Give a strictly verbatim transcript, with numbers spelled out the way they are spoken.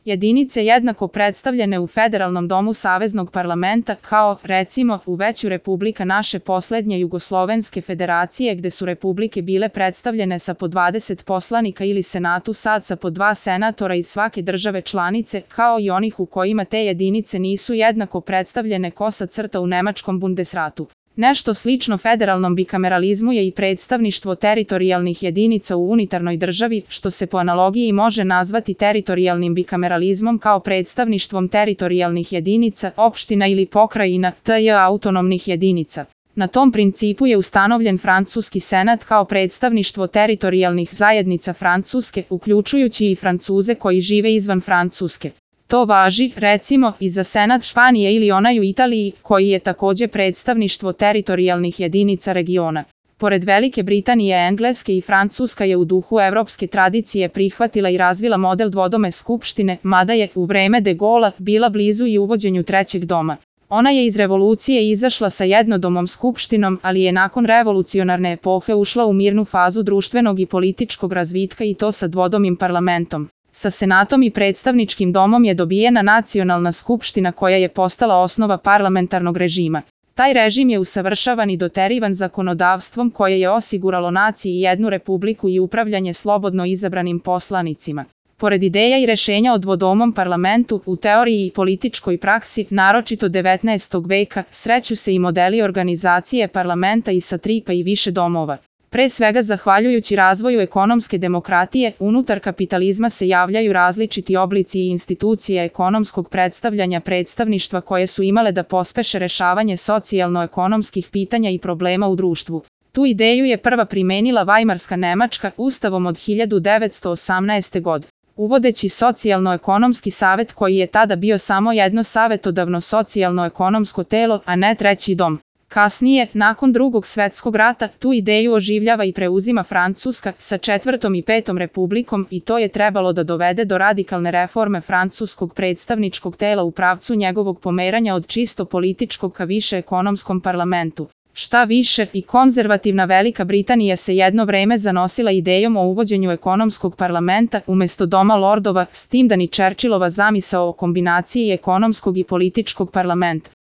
Jedinice jednako predstavljene u Federalnom domu Saveznog parlamenta, kao, recimo, u veću republika naše poslednje Jugoslovenske federacije gde su republike bile predstavljene sa po dvadeset poslanika ili senatu sad sa po dva senatora iz svake države članice, kao i onih u kojima te jedinice nisu jednako predstavljene kosa crta u nemačkom Bundesratu. Nešto slično federalnom bikameralizmu je i predstavništvo teritorijalnih jedinica u unitarnoj državi, što se po analogiji može nazvati teritorijalnim bikameralizmom kao predstavništvom teritorijalnih jedinica, opština ili pokrajina, tj. autonomnih jedinica. Na tom principu je ustanovljen Francuski senat kao predstavništvo teritorijalnih zajednica Francuske, uključujući i Francuze koji žive izvan Francuske. To važi, recimo, i za senat Španije ili onaj u Italiji, koji je takođe predstavništvo teritorijalnih jedinica regiona. Pored Velike Britanije, Engleske i Francuska je u duhu evropske tradicije prihvatila i razvila model dvodome skupštine, mada je, u vreme de Gaulea, bila blizu i uvođenju trećeg doma. Ona je iz revolucije izašla sa jednodomom skupštinom, ali je nakon revolucionarne epohe ušla u mirnu fazu društvenog i političkog razvitka i to sa dvodomim parlamentom. Sa senatom i predstavničkim domom je dobijena nacionalna skupština koja je postala osnova parlamentarnog režima. Taj režim je usavršavan i doterivan zakonodavstvom koje je osiguralo naciji jednu republiku i upravljanje slobodno izabranim poslanicima. Pored ideja i rešenja o dvodomom parlamentu, u teoriji i političkoj praksi, naročito devetnaestog veka, sreću se i modeli organizacije parlamenta i sa tri pa i više domova. Pre svega zahvaljujući razvoju ekonomske demokratije, unutar kapitalizma se javljaju različiti oblici i institucije ekonomskog predstavljanja predstavništva koje su imale da pospeše rešavanje socijalno-ekonomskih pitanja i problema u društvu. Tu ideju je prva primenila Vajmarska Nemačka ustavom od hiljadu devetsto osamnaeste. godine. Uvodeći socijalno-ekonomski savet koji je tada bio samo jedno savetodavno socijalno-ekonomsko telo, a ne treći dom. Kasnije, nakon Drugog svetskog rata, tu ideju oživljava i preuzima Francuska sa četvrtom i petom republikom i to je trebalo da dovede do radikalne reforme francuskog predstavničkog tela u pravcu njegovog pomeranja od čisto političkog ka više ekonomskom parlamentu. Šta više, i konzervativna Velika Britanija se jedno vreme zanosila idejom o uvođenju ekonomskog parlamenta umesto Doma lordova, s tim da ni Churchillova zamisao o kombinaciji ekonomskog i političkog parlamenta